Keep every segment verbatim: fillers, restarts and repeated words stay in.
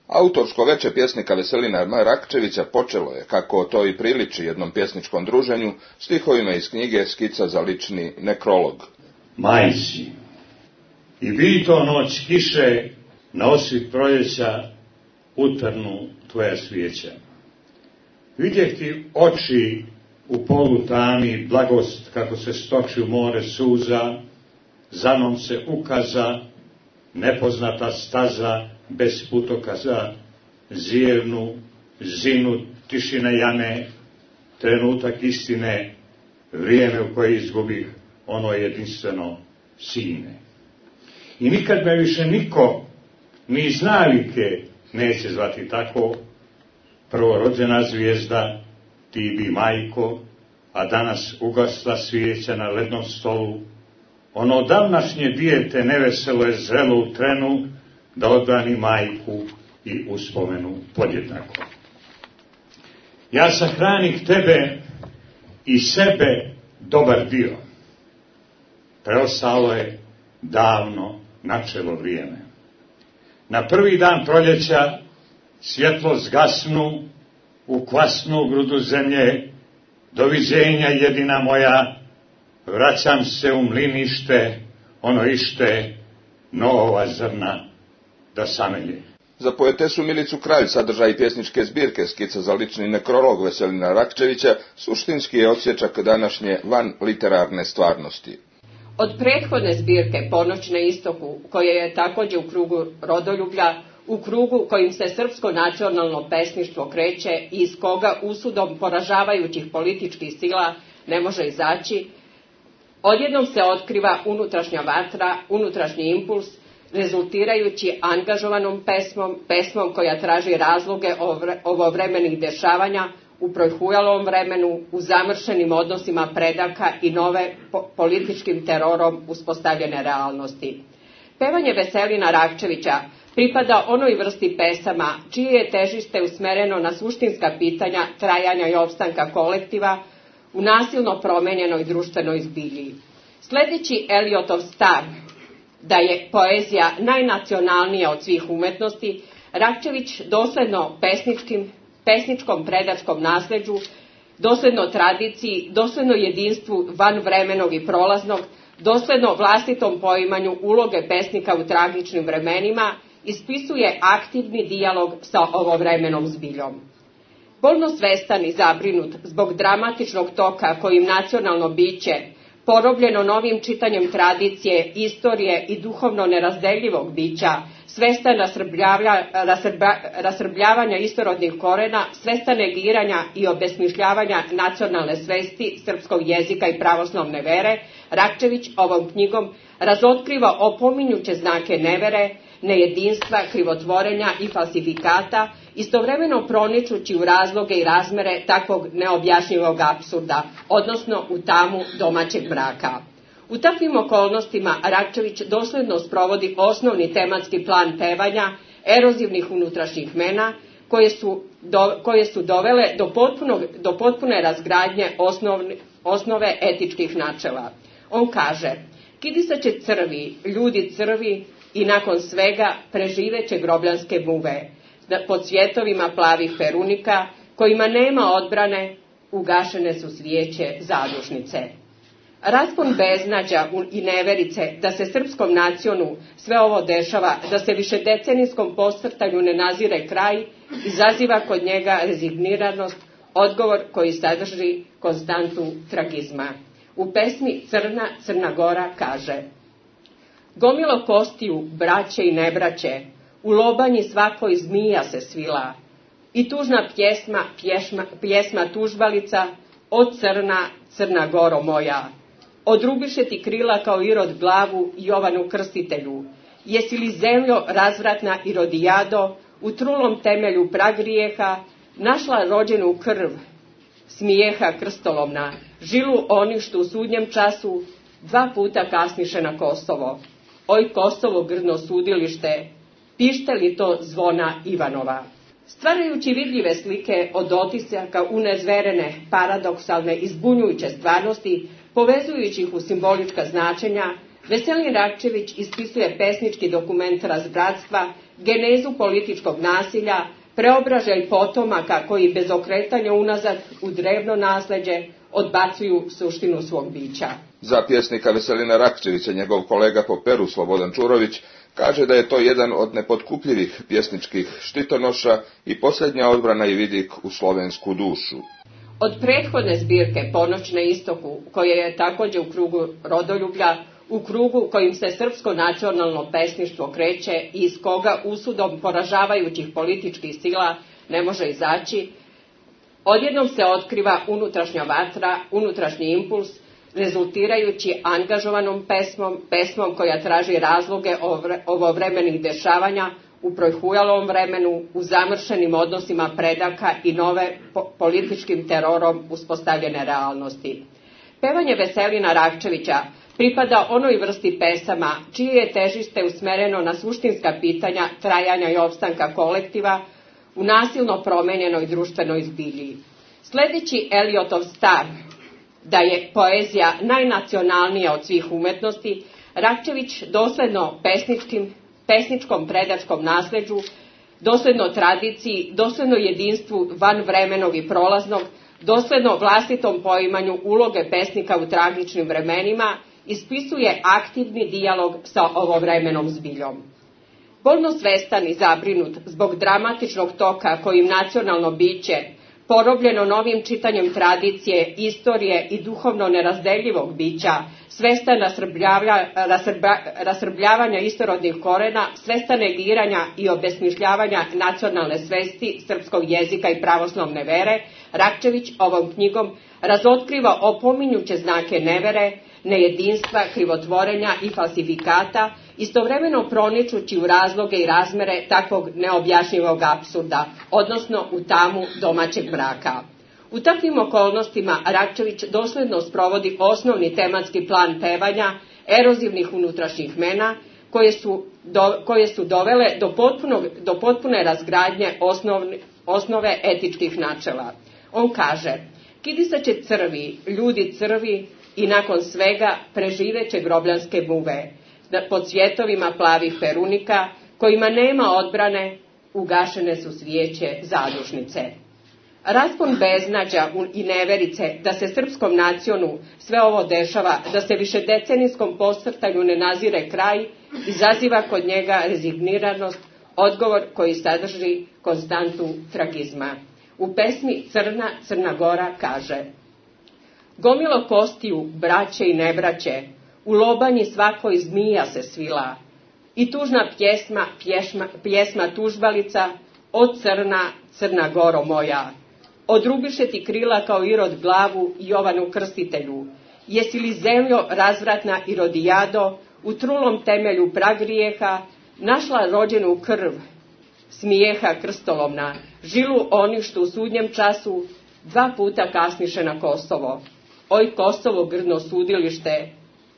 Autorsko veče pjesnika Veselina Rakčevića počelo je, kako to i priliči jednom pjesničkom druženju, stihovima iz knjige Skica za lični nekrolog. Majci, i bi to noć kiše, na osvit proljeća utrnu tvoja svijeća. Vidjeh ti oči u polu tami, blagost kako se stoči u more suza, za mnom se ukaza, nepoznata staza, bez putokaza, zijevnu, zinu, tišine jame, trenutak istine, vrijeme u koje izgubih ono jedinstveno sine. I nikad me više niko, ni iz navike, neće zvati tako, prvorođena zvijezda, ti bi majko, a danas ugasla svijeća na lednom stolu, ono davnašnje dijete neveselo je zrelo u trenu, da odbrani majku i uspomenu podjednako. Ja sahranih tebe i sebe dobar dio. Preostalo je davno načelo vrijeme. Na prvi dan proljeća svjetlo zgasnu u kvasnu grudu zemlje, doviđenja jedina moja, vraćam se u mlinište, ono ište, nova zrna da samelje. Za poetesu Milicu Kralj sadržaj pjesničke zbirke Skica za lični nekrolog Veselina Rakčevića suštinski je odsječak današnje van literarne stvarnosti. Od prethodne zbirke Ponoć na istoku, koja je također u krugu rodoljublja, u krugu kojim se srpsko nacionalno pesništvo kreće i iz koga usudom poražavajućih političkih sila ne može izaći, odjednom se otkriva unutrašnja vatra, unutrašnji impuls, rezultirajući angažovanom pesmom, pesmom koja traži razloge ovovremenih dešavanja u prohujalom vremenu, u zamršenim odnosima predaka i nove po- političkim terorom uspostavljene realnosti. Pevanje Veselina Rakčevića pripada onoj vrsti pesama čije je težište usmereno na suštinska pitanja trajanja i opstanka kolektiva u nasilno promenjenoj društvenoj zbilji. Sljedeći Eliotov stav da je poezija najnacionalnija od svih umetnosti, Rakčević dosledno pesničkim, pesničkom predačkom nasljeđu, dosledno tradiciji, dosledno jedinstvu vanvremenog i prolaznog, dosledno vlastitom poimanju uloge pesnika u tragičnim vremenima, ispisuje aktivni dijalog sa ovovremenom zbiljom. Bolno svestan i zabrinut zbog dramatičnog toka kojim nacionalno biće, porobljeno novim čitanjem tradicije, istorije i duhovno nerazdeljivog bića, svestan rasrbljavanja, rasrbljavanja istorodnih korena, svestan negiranja i obesmišljavanja nacionalne svesti, srpskog jezika i pravoslavne vere, Rakčević ovom knjigom razotkriva opominjuće znake nevere, nejedinstva, krivotvorenja i falsifikata, istovremeno proničući u razloge i razmere takvog neobjašnjivog apsurda, odnosno u tamu domaćeg mraka. U takvim okolnostima Rakčević dosljedno sprovodi osnovni tematski plan pevanja erozivnih unutrašnjih mena, koje su, do, koje su dovele do, potpunog, do potpune razgradnje osnovni, osnove etičkih načela. On kaže: kidisaće crvi, ljudi crvi i nakon svega preživeće grobljanske muve, pod svjetovima plavih perunika, kojima nema odbrane, ugašene su svijeće zadušnice. Raspon beznađa i neverice da se srpskom nacionu sve ovo dešava, da se višedecenijskom posrtanju ne nazire kraj, izaziva kod njega rezigniranost, odgovor koji sadrži konstantu tragizma. U pesmi Crna, Crna Gora kaže: gomilo kostiju, braće i nebraće, u lobanji svakoj zmija se svila, i tužna pjesma, pjesma, pjesma tužbalica, o crna, Crna Goro moja, odrubiše ti krila kao Irod glavu Jovanu Krstitelju, jesi li zemljo razvratna Irodijado, u trulom temelju pragrijeha, našla rođenu krv, smijeha krstolomna, žilu oni što u sudnjem času dva puta kasniše na Kosovo. Oj Kosovo grdno sudilište, pište li to zvona Ivanova? Stvarajući vidljive slike od otisaka unezverene, paradoksalne i zbunjujuće stvarnosti, povezujući ih u simbolička značenja, Veselin Rakčević ispisuje pesnički dokument razbratstva, genezu političkog nasilja, preobražaj potomaka koji bez okretanja unazad u drevno nasleđe odbacuju suštinu svog bića. Za pjesnika Veselina Rakčevića njegov kolega po Peru Slobodan Čurović kaže da je to jedan od nepotkupljivih pjesničkih štitonoša i posljednja odbrana i vidik u slovensku dušu. Od prethodne zbirke Ponoć na istoku, koja je također u krugu rodoljublja, u krugu kojim se srpsko nacionalno pesništvo kreće i iz koga usudom poražavajućih političkih sila ne može izaći, odjednom se otkriva unutrašnja vatra, unutrašnji impuls, rezultirajući angažovanom pesmom, pesmom koja traži razloge ovovremenih dešavanja u projhujalom vremenu, u zamršenim odnosima predaka i nove po političkim terorom uspostavljene realnosti. Pevanje Veselina Rakčevića pripada onoj vrsti pesama čije je težište usmereno na suštinska pitanja trajanja i opstanka kolektiva u nasilno promenjenoj društvenoj zbilji. Sledeći Eliotov stav da je poezija najnacionalnija od svih umetnosti, Rakčević dosledno pesničkim, pesničkom predačkom nasleđu, dosledno tradiciji, dosledno jedinstvu vanvremenog i prolaznog, dosledno vlastitom poimanju uloge pesnika u tragičnim vremenima, ispisuje aktivni dijalog sa ovovremenom zbiljom. Bolno svestan i zabrinut zbog dramatičnog toka kojim nacionalno biće, porobljeno novim čitanjem tradicije, istorije i duhovno nerazdeljivog bića, svestan rasrbljavanja, rasrbljavanja istorodnih korena, svestan negiranja i obesmišljavanja nacionalne svesti, srpskog jezika i pravoslavne vere, Rakčević ovom knjigom razotkriva opominjuće znake nevere, nejedinstva, krivotvorenja i falsifikata, istovremeno proničući u razloge i razmere takvog neobjašnjivog apsurda, odnosno u tamu domaćeg mraka. U takvim okolnostima Rakčević dosledno sprovodi osnovni tematski plan pevanja erozivnih unutrašnjih mena, koje su, do, koje su dovele do, potpunog, do potpune razgradnje osnovne, osnove etičkih načela. On kaže: kidisaće crvi, ljudi crvi i nakon svega preživeće grobljanske muve, pod svjetovima plavih perunika, kojima nema odbrane, ugašene su svijeće zadušnice. Raspon beznađa i neverice da se srpskom nacionu sve ovo dešava, da se višedecenijskom posrtanju ne nazire kraj, izaziva kod njega rezigniranost, odgovor koji sadrži konstantu tragizma. U pesmi Crna, Crna Gora kaže: gomilo kostiju, braće i nebraće, u lobanji svakoj zmija se svila, i tužna pjesma, pjesma, pjesma tužbalica, o crna, Crna Goro moja, odrubiše ti krila kao Irod glavu Jovanu Krstitelju, jesi li zemljo razvratna Irodijado, u trulom temelju pragrijeha, našla rođenu krv, smijeha krstolovna, žilu oni što u sudnjem času dva puta kasniše na Kosovo. Oj Kosovo grdno sudilište,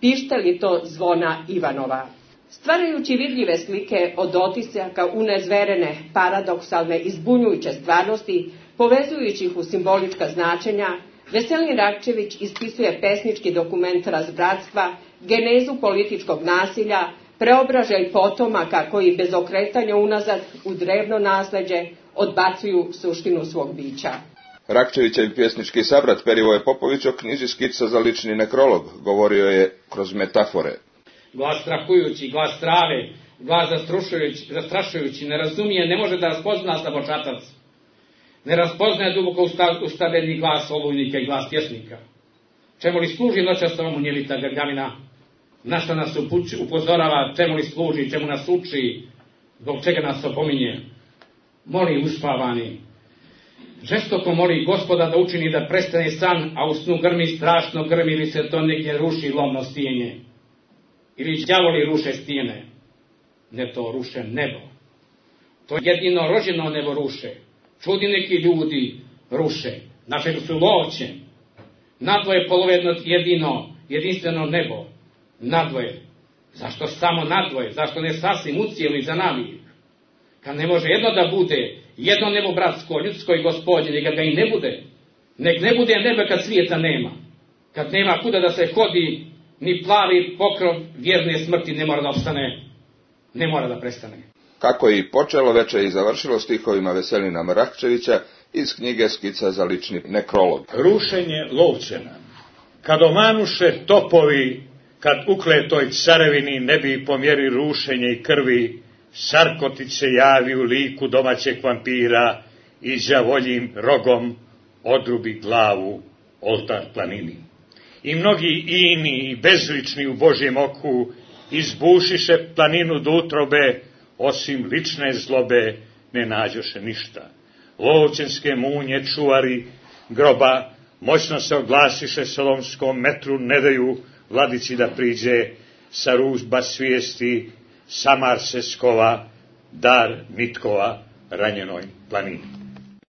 pište li to zvona Ivanova? Stvarajući vidljive slike od otisaka unezverene, paradoksalne i zbunjujuće stvarnosti, povezujući ih u simbolička značenja, Veselin Rakčević ispisuje pesnički dokument razbratstva, genezu političkog nasilja, preobražaj potomaka koji bez okretanja unazad u drevno nasleđe odbacuju suštinu svog bića. Rakčevićev pjesnički sabrat Perivoje Popović o knjiži Skica za lični nekrolog govorio je kroz metafore. Glas strahujući, glas strave, glas zastrašujući, zastrašujući, ne razumije, ne može da raspozna slabočatac. Ne raspoznaje duboko ustavljeni glas olujnika i glas pjesnika. Čemu li služi noćasovom munjevita grgavina? Na što nas upući, upozorava, čemu li služi, čemu nas uči, zbog čega nas opominje? Moli uspavani. Žestoko moli Gospoda da učini da prestane san, a u snu grmi strašno grmi ili se to negdje ruši lomno stijenje. Ili đavoli ruše stijene. Ne to ruše nebo. To jedino rođeno nebo ruše. Čudi neki ljudi ruše. Našeg su loće. Nadvoje polovedno jedino, jedinstveno nebo. Nadvoje. Zašto samo nadvoje? Zašto ne sasvim ucijeli za navijek? Kad ne može jedno da bude, jedno nebo bratsko, ljudsko i gospodnje, neka ga i ne bude. Nek ne bude nebe kad svijeta nema. Kad nema kuda da se hodi, ni plavi pokrov vjerne smrti ne mora da opstane, ne mora da prestane. Kako je i počelo, veče i završilo stihovima Veselina Mrakčevića iz knjige Skica za lični nekrolog. Rušenje Lovćena. Kad omanuše topovi, kad ukletoj carevini ne bi po mjeri rušenja i krvi, Sarkotić se javi u liku domaćeg vampira i đavoljim rogom odrubi glavu oltar planini. I mnogi ini i bezlični u Božjem oku izbušiše planinu do utrobe, osim lične zlobe ne nađoše ništa. Lovćenske munje čuvari groba moćno se oglasiše solomskom metru, ne daju vladici da priđe, sa ružba svijesti samar se skova, dar mitkova ranjenoj planini.